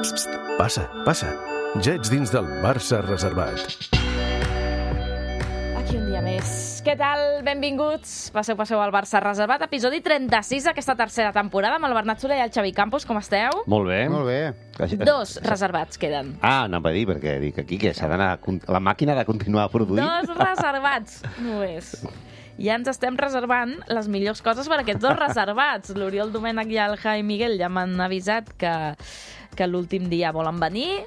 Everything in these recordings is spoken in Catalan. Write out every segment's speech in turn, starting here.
Passa, passa. Ja ets dins del Barça reservat. Aquí un dia més. Què tal? Benvinguts. Passeu al Barça reservat. Episodi 36 d'aquesta tercera temporada amb el Bernat Soler i el Xavi Campos. Com esteu? Molt bé. Molt bé. 2 reservats queden. Anava a dir, perquè dic aquí que s'ha d'anar... La màquina ha de continuar produint. 2 reservats, només. Ja ens estem reservant les millors coses per a aquests 2 reservats. L'Oriol Domènech i el Javi Miguel ja m'han avisat que l'últim dia volen venir.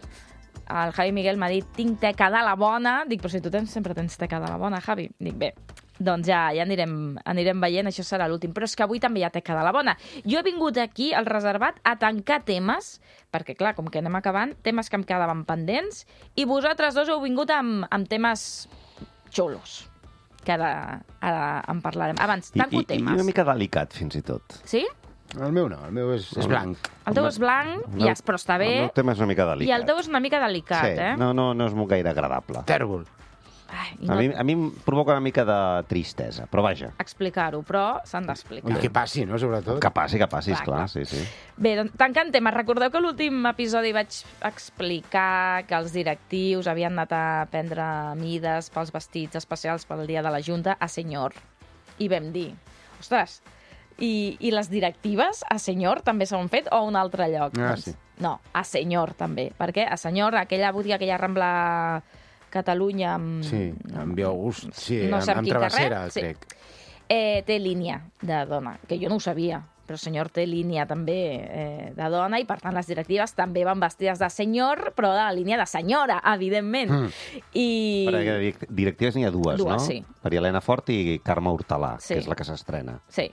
El Javi Miguel m'ha dit, tinc teca de la bona. Dic, però si tu sempre tens teca de la bona, Javi. Dic, bé, doncs ja anirem veient, això serà l'últim. Però és que avui també hi ha teca de la bona. Jo he vingut aquí, al reservat, a tancar temes, perquè, clar, com que anem acabant, temes que em quedaven pendents, i vosaltres dos heu vingut amb temes xulos, que ara en parlarem. Abans, tanco temes. I una mica delicat, fins i tot. Sí? El meu no, el meu és blanc. El teu és blanc, però està bé. El meu tema és una mica delicat. I el teu és una mica delicat, sí, eh? No és molt gaire agradable. Tèrbol. Ai, A mi em provoca una mica de tristesa, però vaja. explicar-ho, però s'han d'explicar. I que passi, no?, sobretot. Que passi, Clar. esclar, sí. Bé, doncs, tancant temes, recordeu que a l'últim episodi vaig explicar que els directius havien anat a prendre mides pels vestits especials pel dia de la Junta a Senyor. I vam dir, ostres, i les directives a Senyor també s'han fet o a un altre lloc? Sí. No, a Senyor també, perquè a Senyor, aquella botiga que hi ha a Rambla Catalunya amb... Sí, amb Via August, sí, no sé amb quin travessera, carrer, crec. té línia de dona, que jo no ho sabia, però el senyor té línia també de dona i, per tant, les directives també van vestides de senyor, però de la línia de senyora, evidentment. Perquè directives n'hi ha dues, no? Sí. Maria Elena Fort i Carme Hortalà, Sí. que és la que s'estrena. Sí.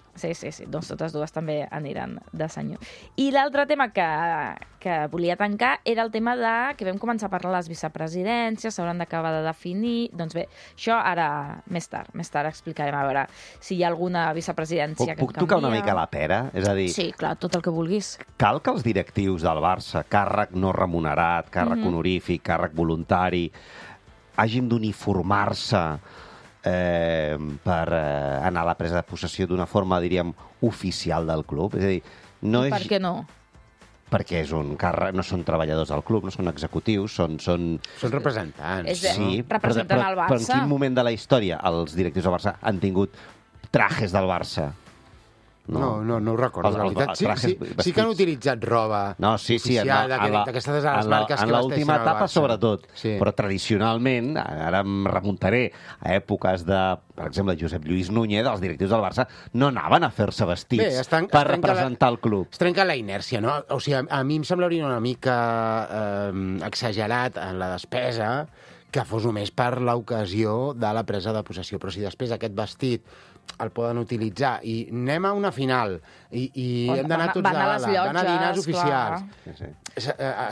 Doncs totes dues també aniran de senyor. I l'altre tema que volia tancar era el tema que vam començar a parlar de les vicepresidències, s'hauran d'acabar de definir. Doncs bé, això ara, més tard explicarem, a veure si hi ha alguna vicepresidència que Puc tocar una mica la pera? És a dir, Sí, clar, tot el que vulguis. cal que els directius del Barça, càrrec no remunerat, càrrec honorífic, càrrec voluntari, hagin d'uniformar-se per anar a la presa de possessió d'una forma, diríem, oficial del club. És a dir, no Per és... què no? Perquè és un càrrec, no són treballadors del club, no són executius, són... Són representants. És de- Sí, representen el però en Barça. quin moment de la història els directius del Barça han tingut trajes del Barça? No ho recordo, la veritat. Sí que han utilitzat roba oficial, d'aquestes a les marques que en l'última vesteixen al etapa, Barça. sobretot. Sí. Però tradicionalment, ara em remuntaré a èpoques de, per exemple, Josep Lluís Núñez, els directius del Barça no anaven a fer-se vestits per representar el club. Es trenca la inèrcia, no? O sigui, a mi em semblaria una mica exagerat en la despesa que fos només per l'ocasió de la presa de possessió. Però si després aquest vestit el poden utilitzar i anem a una final i hem d'anar tots a gala, van a dinars oficials.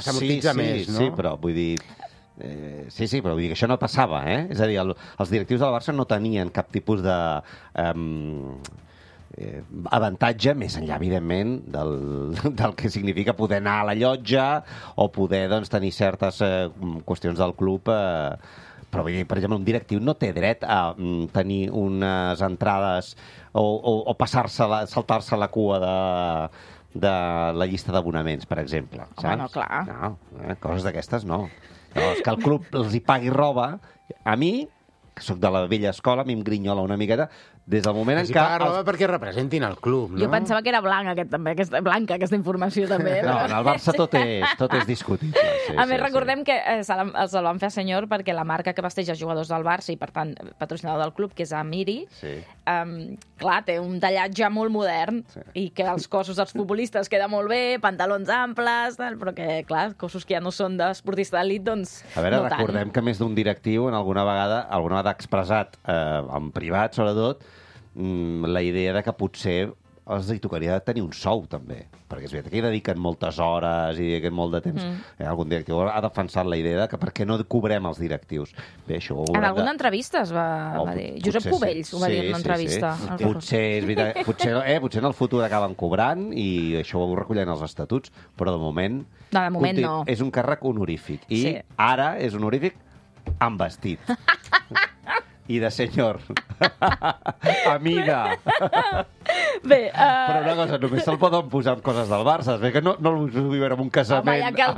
S'amortitza més, no? Sí, però vull dir... Sí, però vull dir que això no passava, eh? És a dir, els directius del Barça no tenien cap tipus de... avantatge, més enllà, evidentment, del que significa poder anar a la llotja o poder tenir certes qüestions del club... Però, vull dir, per exemple, un directiu no té dret a tenir unes entrades o saltar-se la cua de la llista d'abonaments, per exemple. Home, no, clar. No, coses d'aquestes no. Llavors, que el club els hi pagui roba, a mi, que sóc de la vella escola, a mi em grinyola una miqueta, des del moment en què... paga roba perquè representin el club, no? Jo pensava que era blanc, aquesta informació, també. No, en el Barça tot és discutible. Sí, a més, recordem que se'l van fer a Senyor perquè la marca que vesteix els jugadors del Barça i, per tant, patrocinador del club, que és Amiri, clar, té un tallatge molt modern i que els cossos dels futbolistes queda molt bé, pantalons amples, però que, clar, cossos que ja no són d'esportista d'elit, doncs a veure, no tant. recordem que més d'un directiu alguna vegada ha expressat, en privat sobretot, la idea de que potser els hi tocaria tenir un sou, també. Perquè és veritat que hi dediquen moltes hores i dediquen molt de temps. Algun directiu ha defensat la idea de que per què no cobrem els directius. Bé, això en alguna entrevista es va dir. Josep Cubells ho va dir en una entrevista. Sí. Potser, és veritat, potser en el futur acaben cobrant i això ho recollen els estatuts, però de moment... No, de moment no. És un càrrec honorífic. I ara és honorífic amb vestit. i de senyor. Amiga. Bé, Però una cosa, només se'l poden posar amb coses del Barça. És que no el vull veure en un casament. home, ja que el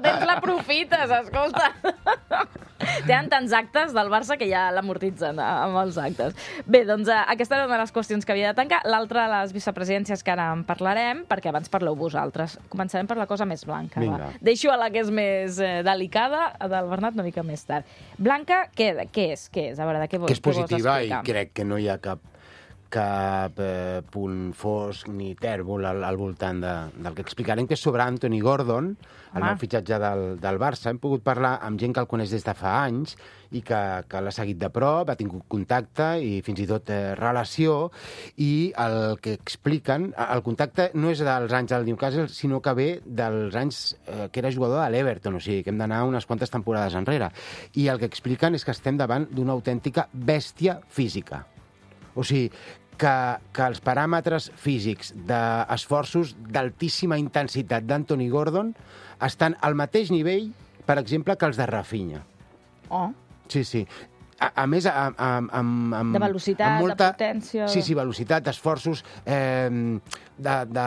tens l'aprofites, escolta. Tenen tants actes del Barça que ja l'amortitzen amb els actes. Bé, doncs aquesta era una de les qüestions que havia de tancar. L'altra, les vicepresidències, que ara en parlarem, perquè abans parleu vosaltres. Començarem per la cosa més blanca. Vinga. Deixo a la que és més delicada, del Bernat, una mica més tard. Blanca, què és? A veure, de què vols Que és positiva i explicar? crec que no hi ha cap punt fosc ni tèrbol al voltant del que explicarem, que és sobre Anthony Gordon, el nou fitxatge del Barça. Hem pogut parlar amb gent que el coneix des de fa anys i que l'ha seguit de prop, ha tingut contacte i fins i tot relació, i el que expliquen, el contacte no és dels anys del Newcastle, sinó que ve dels anys que era jugador de l'Everton, o sigui que hem d'anar unes quantes temporades enrere. I el que expliquen és que estem davant d'una autèntica bèstia física. O sigui, que els paràmetres físics d'esforços d'altíssima intensitat d'Anthony Gordon estan al mateix nivell, per exemple, que els de Rafinha. Oh. Sí, sí. A més, De velocitat, de potència... Sí, velocitat, esforços de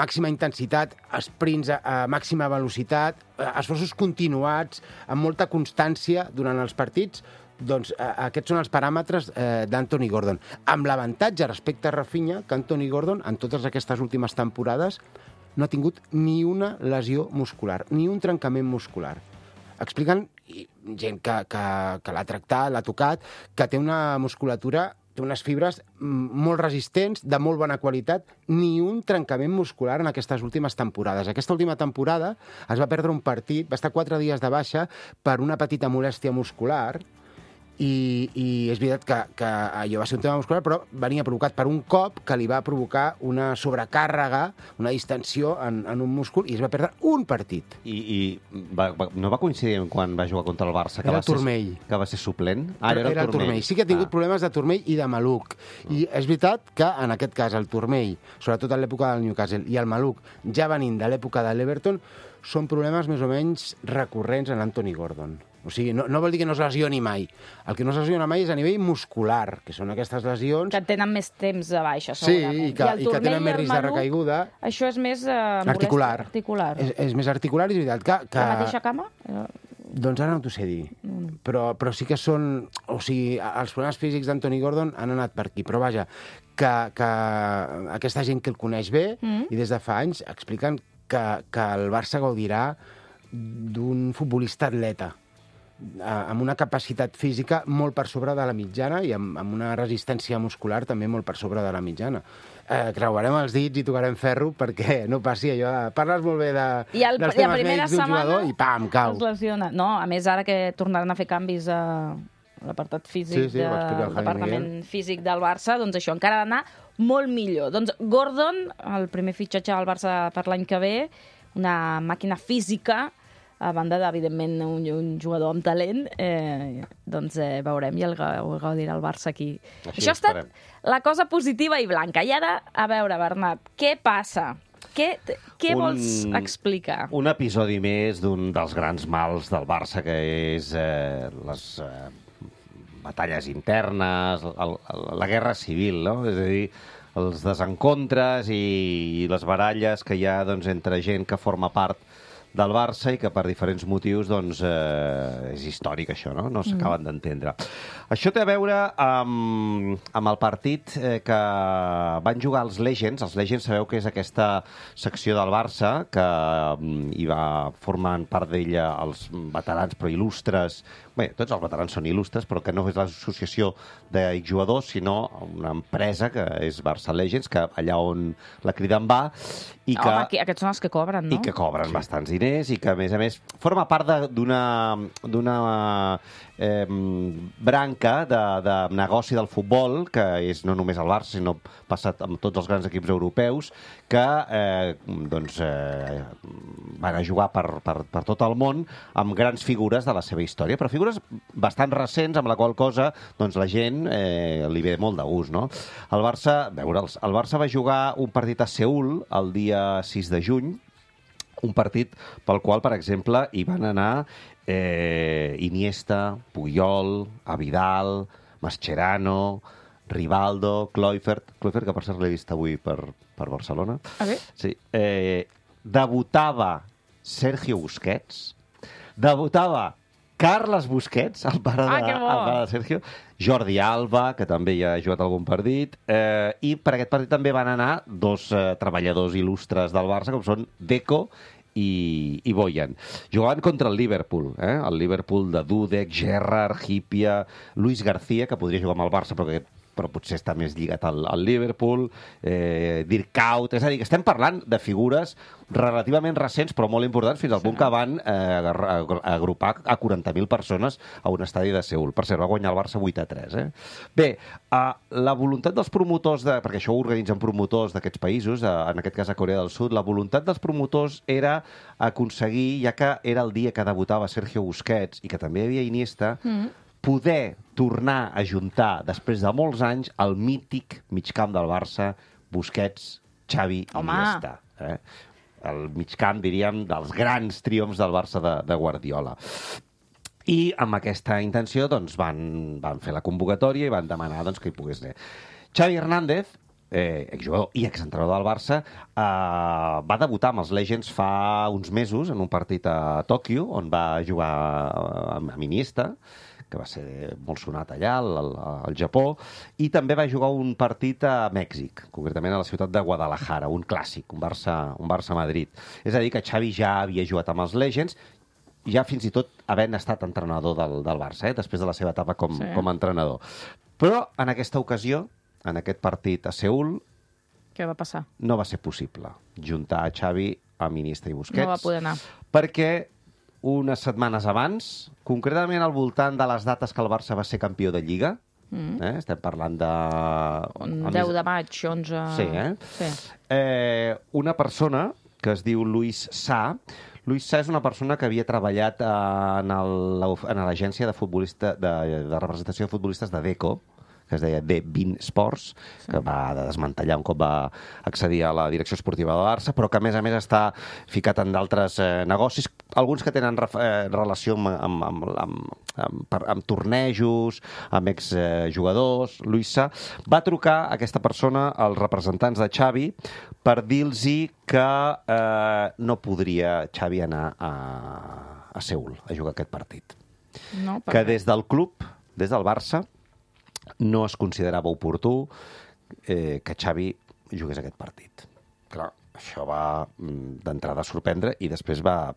màxima intensitat, sprints a màxima velocitat, esforços continuats, amb molta constància durant els partits. Doncs aquests són els paràmetres d'Anthony Gordon. Amb l'avantatge respecte a Rafinha, que Anthony Gordon, en totes aquestes últimes temporades, no ha tingut ni una lesió muscular, ni un trencament muscular. Expliquen, gent que l'ha tractat, l'ha tocat, que té una musculatura, té unes fibres molt resistents, de molt bona qualitat, ni un trencament muscular en aquestes últimes temporades. Aquesta última temporada es va perdre un partit, va estar 4 dies de baixa per una petita molèstia muscular, i és veritat que allò va ser un tema muscular, però venia provocat per un cop que li va provocar una sobrecàrrega, una distensió en un múscul, i es va perdre un partit. I no va coincidir quan va jugar contra el Barça? Era el turmell. Que va ser suplent? Era el turmell. Sí que ha tingut problemes de turmell i de maluc. I és veritat que, en aquest cas, el turmell, sobretot en l'època del Newcastle, i el maluc, ja venint de l'època de l'Everton, són problemes més o menys recurrents en Anthony Gordon. O sigui, no vol dir que no es lesioni mai. El que no es lesiona mai és a nivell muscular, que són aquestes lesions... Que tenen més temps de baixa, sí, segurament. i que tenen més risc de recaiguda. Això és més... articular. És més articular, i és veritat que... La mateixa cama? Doncs ara no t'ho sé dir. Però sí que són... O sigui, els problemes físics d'Anthony Gordon han anat per aquí. Però vaja, que aquesta gent que el coneix bé, i des de fa anys, expliquen que el Barça gaudirà d'un futbolista atleta, amb una capacitat física molt per sobre de la mitjana i amb una resistència muscular també molt per sobre de la mitjana. Creuarem els dits i tocarem ferro perquè no passi allò de... Parles molt bé dels temes mèdics d'un jugador i pam, cau. Es lesiona. No, a més, ara que tornaran a fer canvis a l'apartat físic del departament físic del Barça, doncs això encara ha d'anar molt millor. Doncs Gordon, el primer fitxatge del Barça per l'any que ve, una màquina física, a banda d'evidentment un jugador amb talent, doncs veurem i el gaudirà el Barça aquí. Així això ha estat la cosa positiva i blanca. I ara, a veure, Bernat, què passa? Què vols explicar? Un episodi més d'un dels grans mals del Barça, que és les batalles internes, la guerra civil, no? És a dir, els desencontres i les baralles que hi ha entre gent que forma part del Barça i que per diferents motius és històric això, no s'acaben d'entendre. Això té a veure amb el partit que van jugar els Legends. Els Legends sabeu que és aquesta secció del Barça que hi formant part d'ella els veterans però il·lustres. Bé, tots els veterans són il·lustres, però que no és l'associació d'exjugadors, sinó una empresa que és Barça Legends, que allà on la criden va, i que... Home, aquests són els que cobren, no? I que cobren bastants diners, i que, a més, forma part d'una branca de negoci del futbol, que és no només el Barça, sinó passat amb tots els grans equips europeus, que van a jugar per tot el món amb grans figures de la seva història, però figures bastant recents, amb la qual cosa la gent li ve molt de gust, no? El Barça va jugar un partit a Seül el dia 6 de juny, Un partit pel qual, per exemple, hi van anar Iniesta, Puyol, Avidal, Mascherano, Rivaldo, Kluivert, que per cert l'he vist avui per Barcelona. Ah, bé? Sí. Debutava Sergio Busquets, debutava Carles Busquets, el pare de Sergio, Jordi Alba, que també hi ha jugat algun partit, i per aquest partit també van anar dos treballadors il·lustres del Barça, com són Deco i Boyan. Jugaven contra el Liverpool, el Liverpool de Dudek, Gerrard, Hipia, Luis García, que podria jugar amb el Barça, però potser està més lligat al Liverpool, Dirk Kuyt, és a dir, que estem parlant de figures relativament recents, però molt importants, fins al punt que van agrupar a 40.000 persones a un estadi de Seul. Per cert, va guanyar el Barça 8-3. Bé, la voluntat dels promotors, perquè això ho organitzen promotors d'aquests països, en aquest cas a Corea del Sud, la voluntat dels promotors era aconseguir, ja que era el dia que debutava Sergio Busquets i que també hi havia Iniesta, poder tornar a juntar, després de molts anys, el mític migcamp del Barça, Busquets, Xavi i Iniesta. El migcamp, diríem, dels grans triomfs del Barça de Guardiola. I amb aquesta intenció doncs, van fer la convocatòria i van demanar doncs, que hi pogués anar. Xavi Hernández, exjugador i exentrenador del Barça, va debutar amb els Legends fa uns mesos en un partit a Tòquio, on va jugar amb Iniesta, que va ser molt sonat allà, al Japó, i també va jugar un partit a Mèxic, concretament a la ciutat de Guadalajara, un clàssic, un Barça-Madrid. És a dir, que Xavi ja havia jugat amb els Legends, ja fins i tot havent estat entrenador del Barça, després de la seva etapa com a entrenador. Però en aquesta ocasió, en aquest partit a Seul, què va passar? No va ser possible juntar a Xavi amb Iniesta i Busquets. No va poder anar. Perquè unes setmanes abans, concretament al voltant de les dates que el Barça va ser campió de Lliga, estem parlant de... 10 de maig, 11... Sí. Una persona que es diu Luis Sa. Luis Sa és una persona que havia treballat en l'agència de representació de futbolistes de Deco, que es deia D20 Sports, que va desmantellar un cop va accedir a la direcció esportiva del Barça, però que, a més, està ficat en d'altres negocis, alguns que tenen relació amb tornejos, amb exjugadors. Luisa va trucar a aquesta persona, als representants de Xavi, per dir-los que no podria Xavi anar a Seul a jugar aquest partit. No, que des del club, des del Barça, no es considerava oportú que Xavi jugués aquest partit. Clar, això va d'entrada sorprendre i després va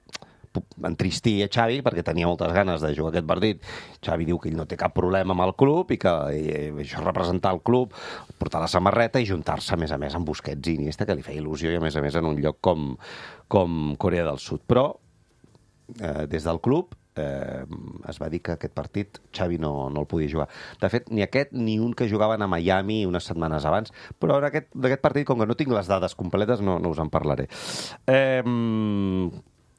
entristir a Xavi perquè tenia moltes ganes de jugar aquest partit. Xavi diu que ell no té cap problema amb el club i que això és representar el club, portar la samarreta i juntar-se, a més, amb Busquets i Iniesta, que li feia il·lusió i, a més, en un lloc com Corea del Sud. Però, des del club, es va dir que aquest partit Xavi no el podia jugar. De fet, ni aquest ni un que jugaven a Miami unes setmanes abans, però d'aquest partit, com que no tinc les dades completes, no us en parlaré.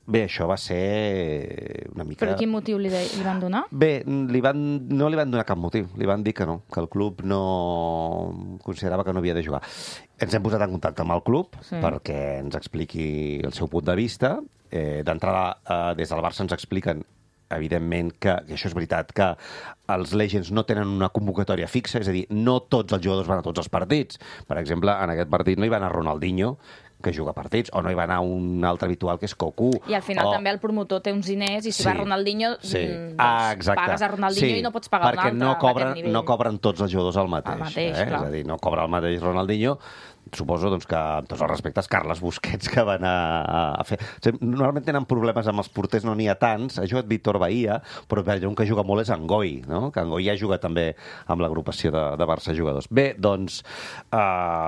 Bé, això va ser una mica... Però quin motiu li van donar? Bé, no li van donar cap motiu. Li van dir que no, que el club no considerava que no havia de jugar. Ens hem posat en contacte amb el club perquè ens expliqui el seu punt de vista. D'entrada, des del Barça ens expliquen evidentment que això és veritat, que els Legends no tenen una convocatòria fixa, és a dir, no tots els jugadors van a tots els partits. Per exemple, en aquest partit no hi va anar Ronaldinho, que juga partits, o no hi va anar un altre habitual, que és Cocu. I al final també el promotor té uns diners, i si va Ronaldinho, pagues a Ronaldinho i no pots pagar un altre perquè no cobren tots els jugadors el mateix. Clar. És a dir, no cobra el mateix Ronaldinho. Suposo que, amb tots els respectes, Carles Busquets, que va anar a fer... Normalment tenen problemes amb els porters, no n'hi ha tants. Ha jugat Víctor Bahía, però un que juga molt és Angoi, no? Que Angoi ja juga també amb l'agrupació de Barça Jugadors. Bé, doncs,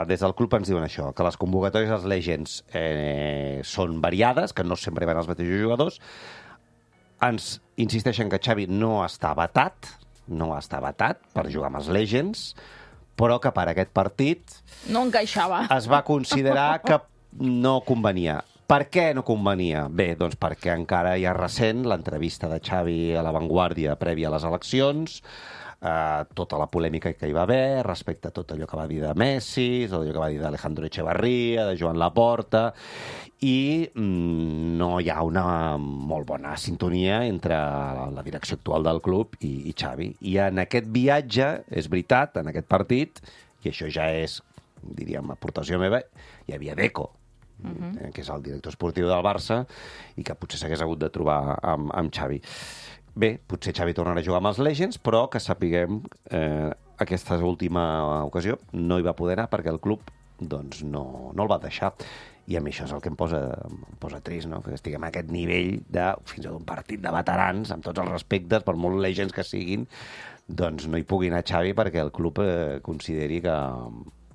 des del club ens diuen això, que les convocatòries dels Legends són variades, que no sempre hi van els mateixos jugadors. Ens insisteixen que Xavi no està vetat per jugar amb els Legends, però que per aquest partit no encaixava. Es va considerar que no convenia. Per què no convenia? Bé, doncs perquè encara hi ha recent l'entrevista de Xavi a La Vanguardia prèvia a les eleccions, tota la polèmica que hi va haver respecte a tot allò que va dir de Messi, tot allò que va dir d'Alejandro Echevarría, de Joan Laporta, i no hi ha una molt bona sintonia entre la direcció actual del club i Xavi. I en aquest viatge, és veritat, en aquest partit, i això ja és, diríem, aportació meva, hi havia Deco, que és el director esportiu del Barça, i que potser s'hagués hagut de trobar amb Xavi. Bé, potser Xavi tornarà a jugar amb els Legends, però que sapiguem aquesta última ocasió no hi va poder anar perquè el club doncs, no el va deixar. I a mi això és el que em posa trist, no? Que estiguem a aquest nivell de fins a un partit de veterans, amb tots els respectes, per molt Legends que siguin, doncs no hi pugui anar Xavi perquè el club consideri que...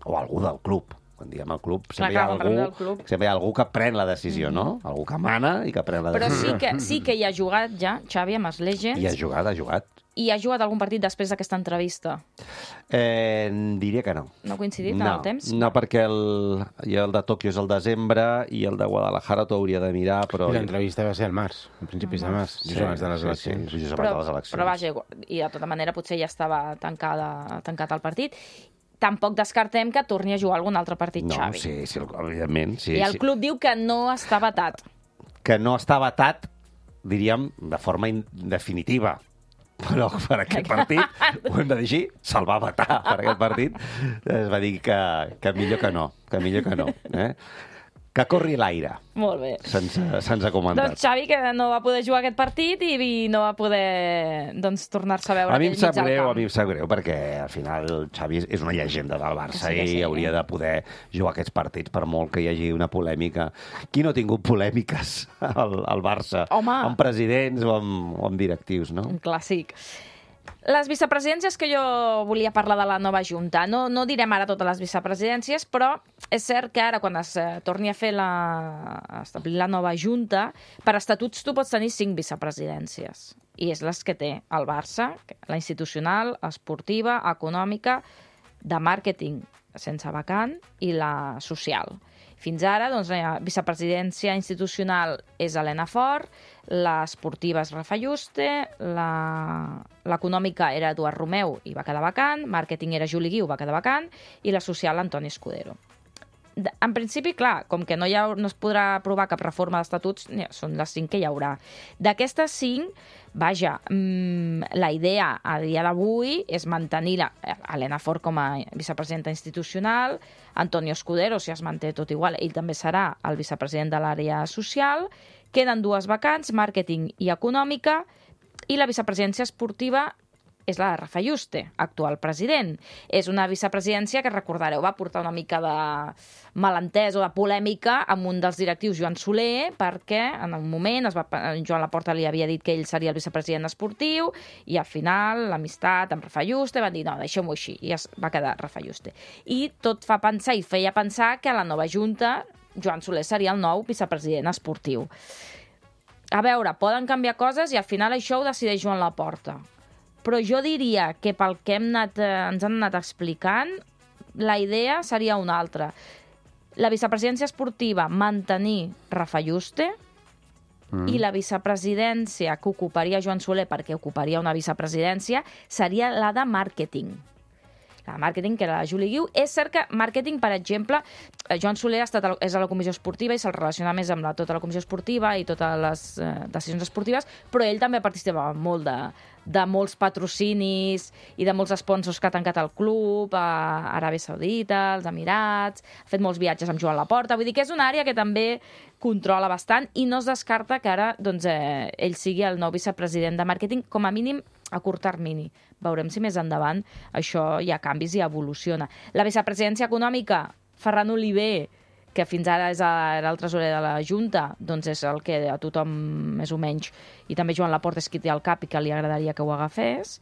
o algú del club. Quan diem el club, sempre hi ha algú que pren la decisió, no? Algú que mana i que pren la decisió. Però sí que hi ha jugat ja, Xavi, amb els Legends. I ha jugat. I ha jugat algun partit després d'aquesta entrevista? Diria que no. No ha coincidit en el temps? No, perquè el de Tòquio és el desembre i el de Guadalajara t'ho hauria de mirar, però... I l'entrevista va ser al març, a principis de març, just abans de les eleccions. Just abans de les eleccions. Però vaja, i de tota manera potser ja estava tancat el partit. Tampoc descartem que torni a jugar algun altre partit, Xavi. Sí, evidentment. Sí, I el club diu que no està vetat. Que no està vetat, diríem, de forma definitiva. Però per aquest partit, ho hem de dir així, se'l va vetar per aquest partit. Es va dir que millor que no. Que corri l'aire. Molt bé. Se'ns ha comentat. Doncs Xavi, que no va poder jugar aquest partit i no va poder tornar-se a veure a mi aquell mig al camp. A mi em sap greu, perquè al final Xavi és una llegenda del Barça i hauria de poder jugar aquests partits, per molt que hi hagi una polèmica. Qui no ha tingut polèmiques al Barça? Home! Amb presidents o amb directius, no? Un clàssic. Les vicepresidències que jo volia parlar de la nova Junta. No direm ara totes les vicepresidències, però és cert que ara, quan es torni a fer establir la nova Junta, per estatuts tu pots tenir 5 vicepresidències. I és les que té el Barça, la institucional, esportiva, econòmica, de màrqueting sense vacant i la social. Fins ara, doncs, la vicepresidència institucional és Elena Fort, l'esportiva és Rafa Juste, l'econòmica era Eduard Romeu i va quedar vacant, màrqueting era Juli Guiu, va quedar vacant, i la social Antoni Escudero. En principi, clar, com que no es podrà aprovar cap reforma d'estatuts, són les 5 que hi haurà. D'aquestes 5, vaja, la idea a dia d'avui és mantenir Elena Fort com a vicepresidenta institucional, Antonio Escudero, si es manté tot igual, ell també serà el vicepresident de l'àrea social, queden 2 vacants, màrqueting i econòmica, i la vicepresidència esportiva és la de Rafa Juste, actual president. És una vicepresidència que, recordareu, va portar una mica de malentès o de polèmica amb un dels directius, Joan Soler, perquè en un moment Joan Laporta li havia dit que ell seria el vicepresident esportiu i al final l'amistat amb Rafa Juste van dir no, deixem-ho així, i es va quedar Rafa Juste. I tot fa pensar i feia pensar que a la nova Junta Joan Soler seria el nou vicepresident esportiu. A veure, poden canviar coses i al final això ho decideix Joan Laporta. Però jo diria que pel que ens han anat explicant, la idea seria una altra. La vicepresidència esportiva, mantenir Rafa Juste, i la vicepresidència que ocuparia Joan Soler, perquè ocuparia una vicepresidència, seria la de màrqueting. La de màrqueting, que era la Juli Guiu. És cert que màrqueting, per exemple, Joan Soler és a la comissió esportiva i se'l relaciona més amb tota la comissió esportiva i totes les decisions esportives, però ell també participava molt de molts patrocinis i de molts sponsors que ha tancat el club, a Aràbia Saudita, als Emirats, ha fet molts viatges amb Joan Laporta, vull dir que és una àrea que també controla bastant i no es descarta que ara ell sigui el nou vicepresident de màrqueting, com a mínim a curt termini. Veurem si més endavant això hi ha canvis i evoluciona. La vicepresidència econòmica, Ferran Oliver, que fins ara era el tresorer de la Junta, doncs és el que a tothom, més o menys, i també Joan Laporta és qui té al cap i que li agradaria que ho agafés.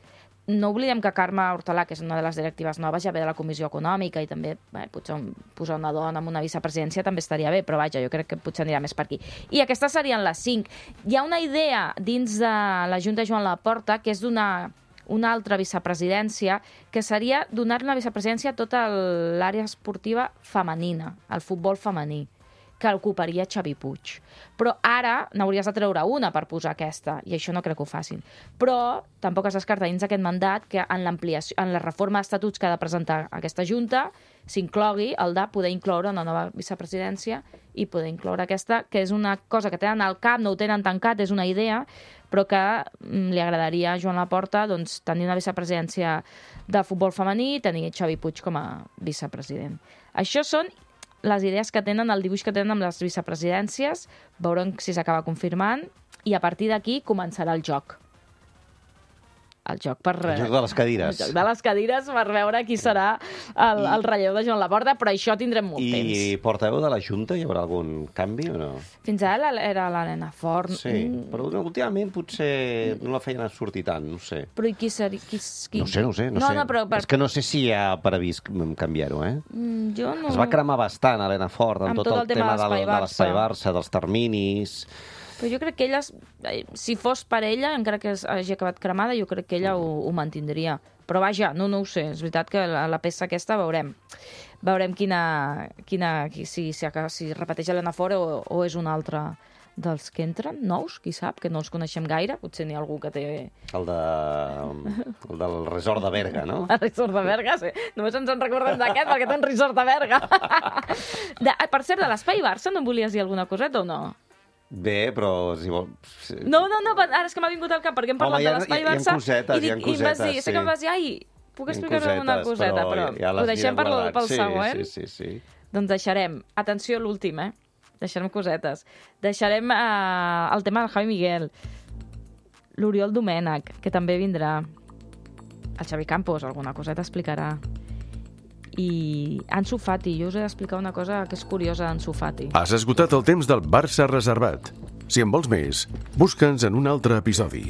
No oblidem que Carme Hortalà, que és una de les directives noves, ja ve de la Comissió Econòmica i també potser posar una dona en una vicepresidència també estaria bé, però vaja, jo crec que potser anirà més per aquí. I aquestes serien les 5. Hi ha una idea dins de la Junta de Joan Laporta que és donar una altra vicepresidència, que seria donar una vicepresidència a tota l'àrea esportiva femenina, el futbol femení, que ocuparia Xavi Puig. Però ara n'hauries de treure una per posar aquesta, i això no crec que ho facin. Però tampoc es descarta dins d'aquest mandat que en l'ampliació, en la reforma d'estatuts que ha de presentar aquesta Junta s'inclogui el de poder incloure una nova vicepresidència i poder incloure aquesta, que és una cosa que tenen al cap, no ho tenen tancat, és una idea, però que li agradaria a Joan Laporta doncs, tenir una vicepresidència de futbol femení i tenir Xavi Puig com a vicepresident. Això són les idees que tenen, el dibuix que tenen amb les vicepresidències, veurem si s'acaba confirmant, i a partir d'aquí començarà el joc. El joc de les cadires. El joc de les cadires per veure qui serà el relleu de Joan Laporta, però això tindrem molt temps. I portaveu de la Junta, hi haurà algun canvi o no? Fins ara era l'Helena Fort. Sí, però últimament potser no la feien sortir tant, no sé. Però i qui seria? No sé. No, però És que no sé si hi ha previst canviar-ho, eh? Jo no... Es va cremar bastant, Helena Fort, amb tot el tema de l'Espai Barça, dels terminis... Però jo crec que ella, si fos per ella, encara que hagi acabat cremada, jo crec que ella ho mantindria. Però vaja, no ho sé. És veritat que la peça aquesta veurem. Veurem si repeteix Helena Fort o és un altre dels que entren, nous, qui sap, que no els coneixem gaire. Potser n'hi ha algú que té... El del resort de Berga, no? El resort de Berga, sí. Només ens en recordem d'aquest perquè té un resort de Berga. Per cert, de l'Espai Barça no em volies dir alguna coseta o no? Bé, però si vol... No, ara és que m'ha vingut al cap, perquè hem parlat de l'Espai Barça. Hi ha cosetes, sí. Sé que em vas dir, puc explicar-me alguna coseta, però ho deixem pel següent. Sí. Doncs deixarem, atenció a l'últim, deixarem cosetes. Deixarem el tema del Javi Miguel, l'Oriol Domènech, que també vindrà, el Xavi Campos, alguna coseta explicarà. I Ansu Fati, jo us he d'explicar una cosa que és curiosa d'Ansu Fati. Has esgotat el temps del Barça reservat. Si en vols més, busca'ns en un altre episodi.